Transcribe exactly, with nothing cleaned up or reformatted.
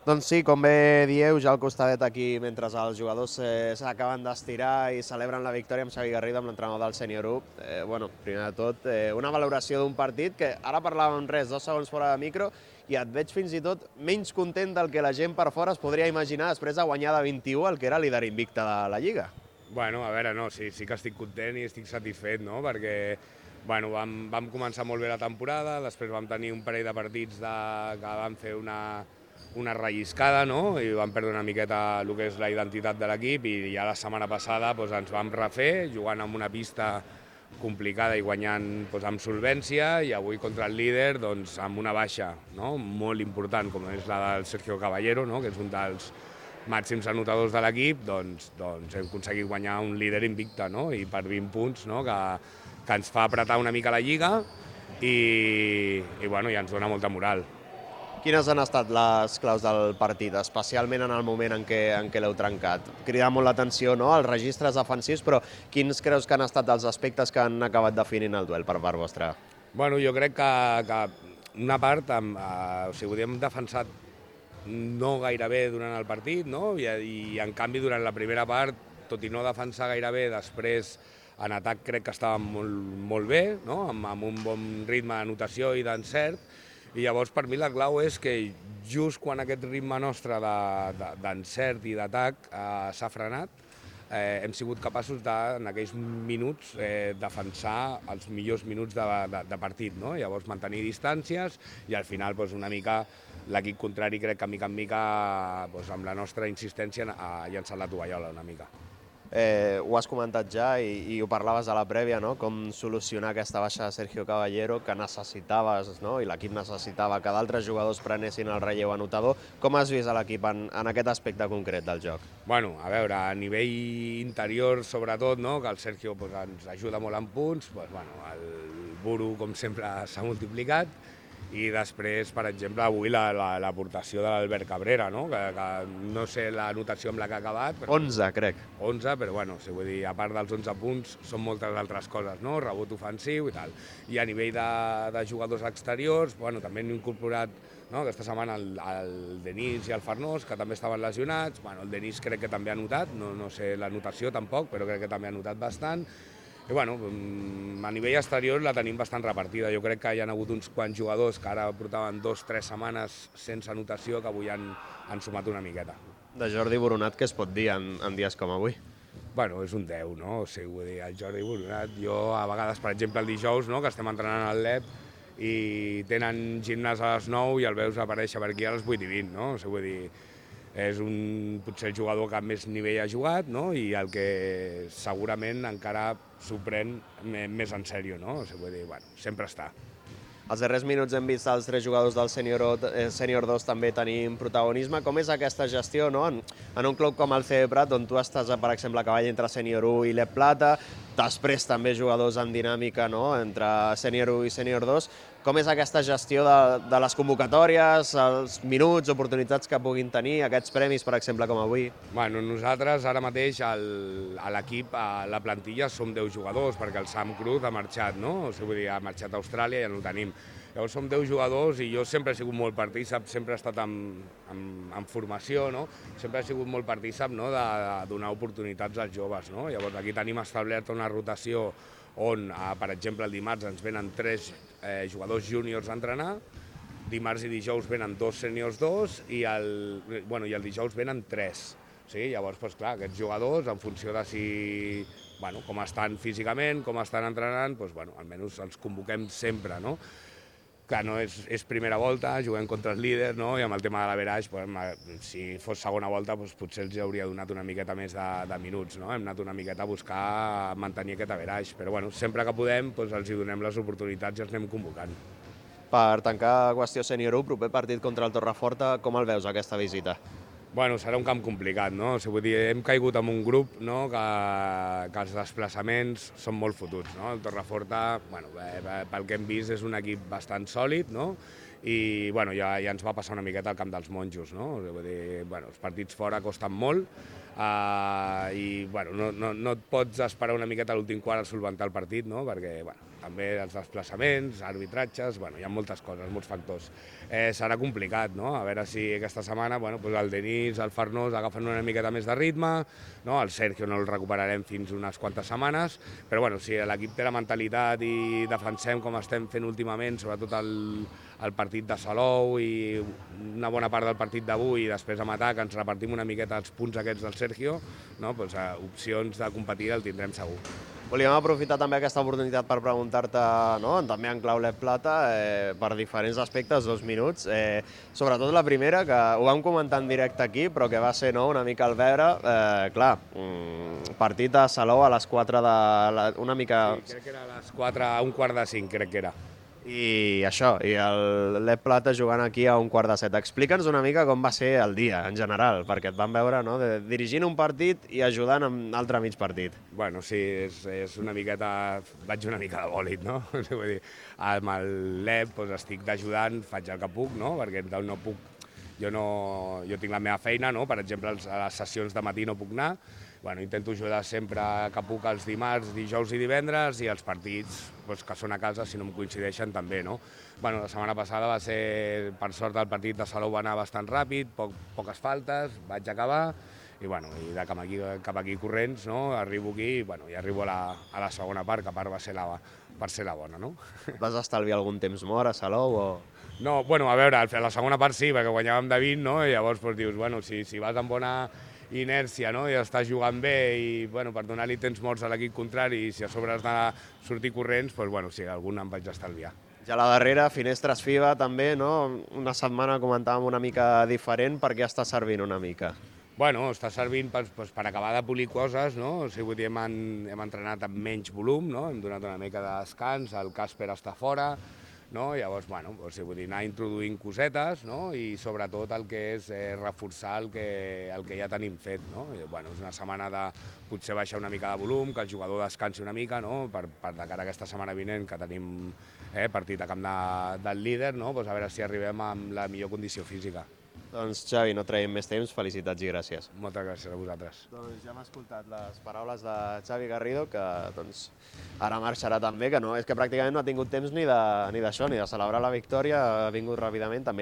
Doncs sí, com bé dieu, ja al costadet aquí, mentre els jugadors eh, s'acaben d'estirar i celebren la victòria amb Xavi Garrido, amb l'entrenador del Sènior u. Eh, bueno, primer de tot, eh, una valoració d'un partit que ara parlàvem res, dos segons fora de micro, i et veig fins i tot menys content del que la gent per fora es podria imaginar després de guanyar de vint-i-u el que era líder invicte de la Lliga. Bueno, a veure, no, sí, sí que estic content i estic satisfet, no?, perquè bueno, vam, vam començar molt bé la temporada, després vam tenir un parell de partits de, que vam fer una, una relliscada, no?, i vam perdre una miqueta el que és la identitat de l'equip, i ja la setmana passada doncs, ens vam refer, jugant en una pista complicada i guanyant doncs, amb solvència, i avui contra el líder doncs, amb una baixa, no?, molt important, com és la del Sergio Caballero, no?, que és un dels màxims anotadors de l'equip, doncs, doncs hem aconseguit guanyar un líder invicte, no?, i per vint punts, no?, que, que ens fa apretar una mica la Lliga i, i, bueno, ja ens dona molta moral. Quines han estat les claus del partit, especialment en el moment en què, en què l'heu trencat? Crida molt l'atenció, no?, els registres defensius, però quins creus que han estat els aspectes que han acabat definint el duel per part vostra? Bueno, jo crec que, que una part, amb, eh, o sigui, hem defensat no gaire bé durant el partit, no?, I, i en canvi durant la primera part, tot i no defensar gaire bé, després en atac crec que estàvem molt, molt bé, no?, amb, amb un bon ritme d'anotació i d'encert, i llavors per mi la clau és que just quan aquest ritme nostre d'encert de, de, i d'atac eh, s'ha frenat, eh, hem sigut capaços de, en aquells minuts, eh, defensar els millors minuts de, de, de partit, no?, llavors mantenir distàncies i al final doncs, una mica l'equip contrari crec que mica en mica doncs, amb la nostra insistència ha llançat la tovallola una mica. Eh, ho has comentat ja i, i ho parlaves a la prèvia, no?, com solucionar aquesta baixa de Sergio Caballero, que necessitaves, no?, i l'equip necessitava que d'altres jugadors prenessin el relleu anotador. Com has vist l'equip en, en aquest aspecte concret del joc? Bueno, a veure, a nivell interior sobretot, no?, que el Sergio pues, ens ajuda molt en punts, pues, bueno, el Buru com sempre s'ha multiplicat, i després, per exemple, avui l'aportació de l'Albert Cabrera, no?, que, que no sé la notació amb la que ha acabat. Però onze, crec. onze, però bueno, si vull dir, a part dels onze punts, són moltes altres coses, no?, rebot ofensiu i tal. I a nivell de, de jugadors exteriors, bueno, també hem incorporat, no?, aquesta setmana el, el Denis i el Farnós, que també estaven lesionats. Bueno, el Denis crec que també ha notat, no, no sé la notació tampoc, però crec que també ha notat bastant. I bueno, a nivell exterior la tenim bastant repartida. Jo crec que hi ha hagut uns quants jugadors que ara portaven dos o tres setmanes sense anotació que avui han, han sumat una miqueta. De Jordi Boronat, què es pot dir en, en dies com avui? Bueno, és un deu, no? O sigui, vull dir, el Jordi Boronat, jo a vegades, per exemple, el dijous, no?, que estem entrenant al L E P i tenen gimnàs a les nou i el veus aparèixer per aquí a les vuit i vint, no? O sigui, vull dir, és un, potser el jugador que més nivell ha jugat, no?, i el que segurament encara s'ho pren més en sèrio, no? O sigui, vull dir, bueno, sempre està. Els darrers minuts hem vist els tres jugadors del Sènior dos també tenim protagonisme. Com és aquesta gestió, no?, en, en un club com el C D Prat, on tu estàs, per exemple, a cavall entre Sènior u i L E P Plata, després també jugadors en dinàmica, no?, entre Sènior u i Sènior dos. Com és aquesta gestió de, de les convocatòries, els minuts, oportunitats que puguin tenir, aquests premis, per exemple, com avui? Bueno, nosaltres ara mateix el, a l'equip, a la plantilla, som deu jugadors, perquè el Sam Cruz ha marxat, no? O sigui, vull dir, ha marxat a Austràlia i ja no el tenim. Llavors som deu jugadors i jo sempre he sigut molt partícip, sempre he estat en, en, en formació, no? Sempre he sigut molt partícip, no?, de, de donar oportunitats als joves, no? Llavors aquí tenim establerta una rotació on, eh, per exemple, el dimarts ens venen tres eh, jugadors júniors a entrenar, dimarts i dijous venen dos sèniors dos i el, bueno, i el dijous venen tres. Sí? Llavors, doncs, clar, aquests jugadors, en funció de si, bueno, com estan físicament, com estan entrenant, doncs, bueno, almenys els convoquem sempre, no? Clar, no és, és primera volta, juguem contra el líder, no?, i amb el tema de l'averaix, pues, si fos segona volta, pues, potser els hauria donat una miqueta més de, de minuts, no? Hem anat una miqueta a buscar mantenir aquest averaix, però bueno, sempre que podem pues, els hi donem les oportunitats i els anem convocant. Per tancar qüestió Sènior u, proper partit contra el Torreforta, com el veus aquesta visita? Bueno, serà un camp complicat, no? O sigui, vull dir, hem caigut en un grup, no?, que, que els desplaçaments són molt fotuts, no? El Torreforta, bueno, pel que hem vist, és un equip bastant sòlid, no?, i bueno, ja, ja ens va passar una miqueta al camp dels monjos, no? O sigui, vull dir, bueno, els partits fora costen molt uh, i bueno, no, no, no et pots esperar una miqueta a l'últim quart a solventar el partit, no?, perquè bueno, també els desplaçaments, arbitratges, bueno, hi ha moltes coses, molts factors. Eh, serà complicat, no? A veure si aquesta setmana bueno, doncs el Denis, el Farnós agafen una miqueta més de ritme, no? El Sergio no el recuperarem fins unes quantes setmanes, però bueno, si l'equip té la mentalitat i defensem com estem fent últimament, sobretot el, el partit de Salou i una bona part del partit d'avui i després amb atac ens repartim una miqueta els punts aquests del Sergio, no? Doncs, eh, opcions de competir el tindrem segur. Volíem aprofitar també aquesta oportunitat per preguntar-te, no? També en clau Lep Plata, eh, per diferents aspectes, dos minuts. Eh, sobretot la primera, que ho vam comentar en directe aquí, però que va ser no, una mica al veure. Eh, clar, mm, partit a Salou a les quatre de... La, una mica... Sí, crec que era a les quatre, a un quart de cinc, crec que era. I això, i el Lep Plata jugant aquí a un quart de set. Explica'ns una mica com va ser el dia, en general, perquè et vam veure no, de, dirigint un partit i ajudant en l'altre mig partit. Bueno, sí, és, és una miqueta... Vaig una mica de bòlit, no? Vull dir, amb el Lep doncs, estic d'ajudant, faig el que puc, no? Perquè no puc... Jo, no, jo tinc la meva feina, no? Per exemple, a les sessions de matí no puc anar. Bueno, intento ajudar sempre que puc els dimarts, dijous i divendres i els partits doncs, que són a casa, si no em coincideixen, també. No? Bueno, la setmana passada va ser, per sort, el partit de Salou va anar bastant ràpid, poc, poques faltes, vaig acabar i, bueno, i de cap aquí, cap aquí corrents no? Arribo aquí i, bueno, i arribo a la, a la segona part, que a part va ser la, per ser la bona. No? Vas estalviar algun temps mort a Salou? O... No, bueno, a veure, a la segona part sí, perquè guanyàvem de vint, no? I llavors doncs, dius, bueno, si, si vas amb bona inèrcia, no? I estàs jugant bé i bueno, per donar-li temps morts a l'equip contrari i si a sobre has de sortir corrents, doncs, bueno, sí, algun em vaig estalviar. Ja a la darrera, Finestres FIBA també, no? Una setmana comentàvem una mica diferent, per què està servint una mica? Bueno, està servint per, doncs, per acabar de polir coses, no? O sigui, vull dir, hem, hem entrenat amb menys volum, no? Hem donat una mica de descans, el Casper està fora, no? Llavors, bueno, o sigui, vull dir, anar introduint cosetes, no? I sobretot el que és eh, reforçar el que, el que ja tenim fet, no? I, bueno, és una setmana de potser baixar una mica de volum, que el jugador descansi una mica, no? Per, per de cara a aquesta setmana vinent, que tenim eh, partit a camp de, del líder, no? Pues a veure si arribem amb la millor condició física. Doncs Xavi, no traiem més temps, felicitats i gràcies. Moltes gràcies a vosaltres. Doncs ja hem escoltat les paraules de Xavi Garrido, que doncs, ara marxarà també, que no, és que pràcticament no ha tingut temps ni d'això, ni, ni de celebrar la victòria, ha vingut ràpidament, també